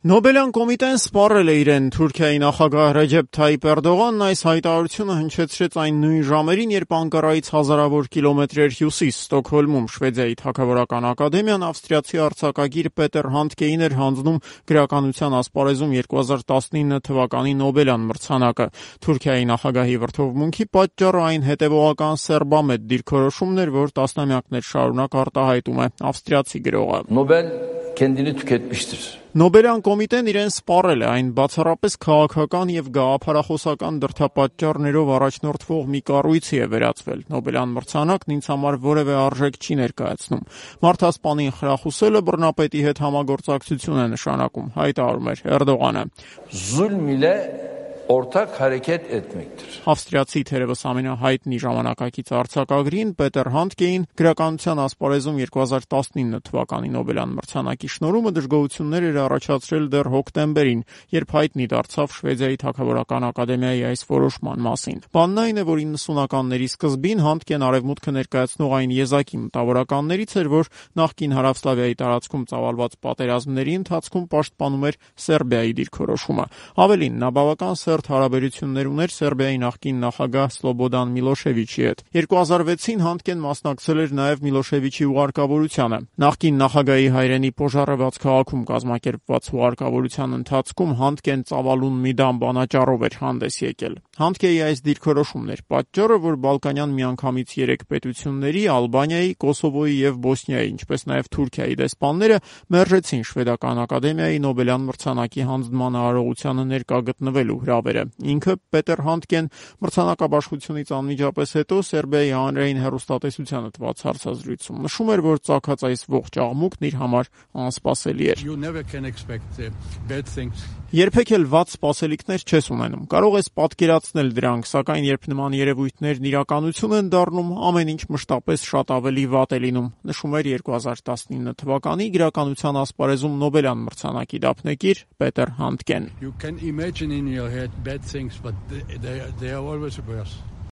Նոբելյան կոմիտեն սպառել է իրեն։ Թուրքիայի նախագահ Ռեջեփ Թայիփ Էրդողանն այս հայտարարությունը հնչեցրեց այն նույն ժամերին, երբ Անկարայից հազարավոր կիլոմետրեր հյուսիս Ստոկհոլմում Շվեդիայի թագավորական ակադեմիան ավստրիացի արձակագիր Պետեր Հանդկեին էր հանձնում գրականության ասպարեզում 2019 թվականի Նոբելյան մրցանակը։ Թուրքիայի նախագահի վրդովմունքի պատճառը այն հետևողական սերբամետ դիրքորոշումն էր, որ տասնամյակներ շարունակ արտահայտում է ավստրիացի գրողը։ Nobel kendini tüketmiştir. Նոբելյան կոմիտեն իրեն սպառել է, այն բացառապես քաղաքական եւ գաղափարախոսական դրդապատճառներով առաջնորդվող մի կառույցի է վերածվել։ Նոբելյան մրցանակն ինձ համար որևէ արժեք չի ներկայացնում։ Մարդասպանին խրախուսելը բռնապետի հետ համագործակցություն է նշանակում, հայտարարում էր Էրդողանը։ Zulm ile ortak hareket etmektir. Ավստրիացի թերևս ամենահայտնի ժամանակակից արձակագրին Պետեր Հանդկեին գրականության ասպարեզում 2019 թվականի Նոբելյան մրցանակի շնորհումը դժգոհություններ էր առաջացրել դեռ հոկտեմբերին, երբ հայտնի դարձավ Շվեդիայի թագավորական ակադեմիայի այս որոշման մասին։ Բանն այն է, որ 90-ականների սկզբին Հանդկեն արևմուտքը ներկայացնող այն եզակի մտավորականներից էր, որ նախկին Հարավսլավիայի տարածքում ծավալված պատերազմների ընթացքում պաշտպանում էր Սերբիայի դիրքորոշումը։ Ավելին, նա բավական սերտ հարաբերություններ ուներ Սերբիայի նախկին նախագահ Սլոբոդան Միլոշևիչի հետ։ 2006-ին Հանդկեն մասնակցել էր նաև Միլոշևիչի ուղարկավորությանը։ Նախկին նախագահի հայրենի Պոժարևաց քաղաքում կազմակերպված ուղարկավորության ընթացքում Հանդկեն ծավալուն մի դամ բանաճառով էր հանդես եկել։ Հանդկեի այս դիրքորոշումն էր պատճառը, որ Բալկանյան միանգամից 3 պետությունների՝ Ալբանիայի, Կոսովոյի եւ Բոսնիայի, ինչպես նաև Թուրքիայի դեսպանները մերժեցին Շվեդական ակադեմիայի Նոբելյան մրցանակի հանձնման արարողությանը ներկա գտնվելու հրավերը։ Ինքը Պետեր Հանդկեն մրցանակաբաշխությունից անմիջապես հետո Սերբիայի հանրային հեռուստատեսությանը տված հարցազրույցում նշում էր, որ ծագած այս ողջ աղմուկն իր համար անսպասելի էր։ Երբեք էլ վատ սպասելիքներ չես ունենում։ Կարող ես պատկերացնել դրանք, սակայն երբ նման երևույթներն իրականություն են դառնում, ամեն ինչ մշտապես շատ ավելի վատ է լինում, նշում էր 2019 թվականի գրականության ասպարեզում Նոբելյան մրցանակի դափնեկիր Պետեր Հանդկեն։ You can imagine in your head bad things, but they are always worse.